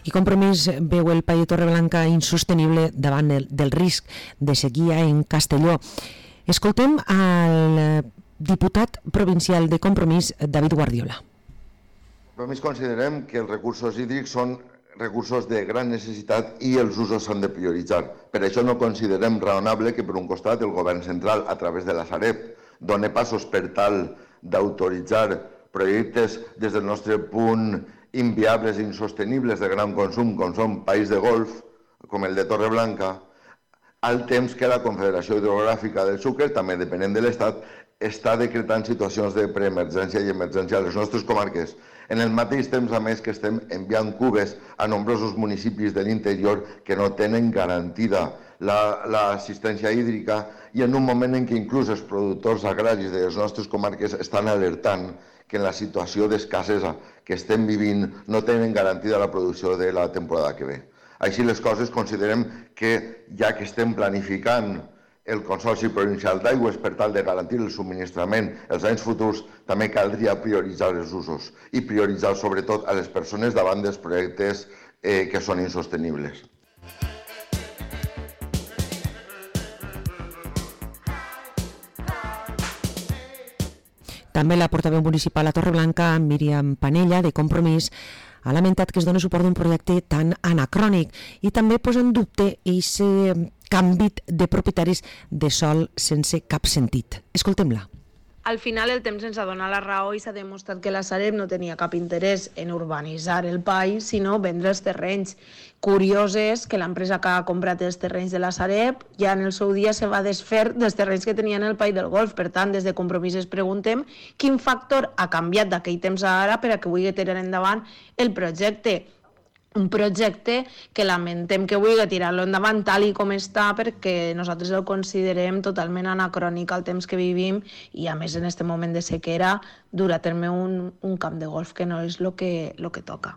I Compromís veu el Pla de Torreblanca insostenible davant del risc de sequia en Castelló. Escoltem al diputat provincial de Compromís, David Guardiola. Compromís considerem que els recursos hídrics són recursos de gran necessitat i els usos s'han de prioritzar. Per això no considerem raonable que, per un costat, el govern central, a través de la Sareb, doni passos per tal d'autoritzar projectes des del nostre punt inviables i insostenibles de gran consum, com són País de Golf, com el de Torreblanca, al temps que la Confederació Hidrogràfica del Xúquer, també depenent de l'Estat, està decretant situacions de preemergència i emergència a les nostres comarques. En el mateix temps, a més, que estem enviant cubes a nombrosos municipis de l'interior que no tenen garantida l'assistència hídrica i en un moment en què inclús els productors agraris de les nostres comarques estan alertant que en la situació d'escassesa que estem vivint no tenen garantida la producció de la temporada que ve. Així les coses, considerem que ja que estem planificant el Consorci Provincial d'Aigües per tal de garantir el subministrament els anys futurs, també caldria prioritzar els usos i prioritzar sobretot a les persones davant dels projectes que són insostenibles. També la portaveu municipal a Torreblanca, Míriam Panella, de Compromís, ha lamentat que es doni suport a un projecte tan anacrònic i també posa en dubte aquest canvi de propietaris de sòl sense cap sentit. Escoltem-la. Al final el temps ens ha donat la raó i s'ha demostrat que la Sareb no tenia cap interès en urbanitzar el país, sinó vendre els terrenys. Curiós és que l'empresa que ha comprat els terrenys de la Sareb ja en el seu dia se va desfer dels terrenys que tenien el País del Golf. Per tant, des de Compromís es preguntem quin factor ha canviat d'aquell temps a ara per a que vulgui tirar endavant el projecte. Un projecte que lamentem que vulgui tirar-lo endavant tal i com està perquè nosaltres el considerem totalment anacrònic al temps que vivim i a més en aquest moment de sequera dur a terme un camp de golf que no és el que toca.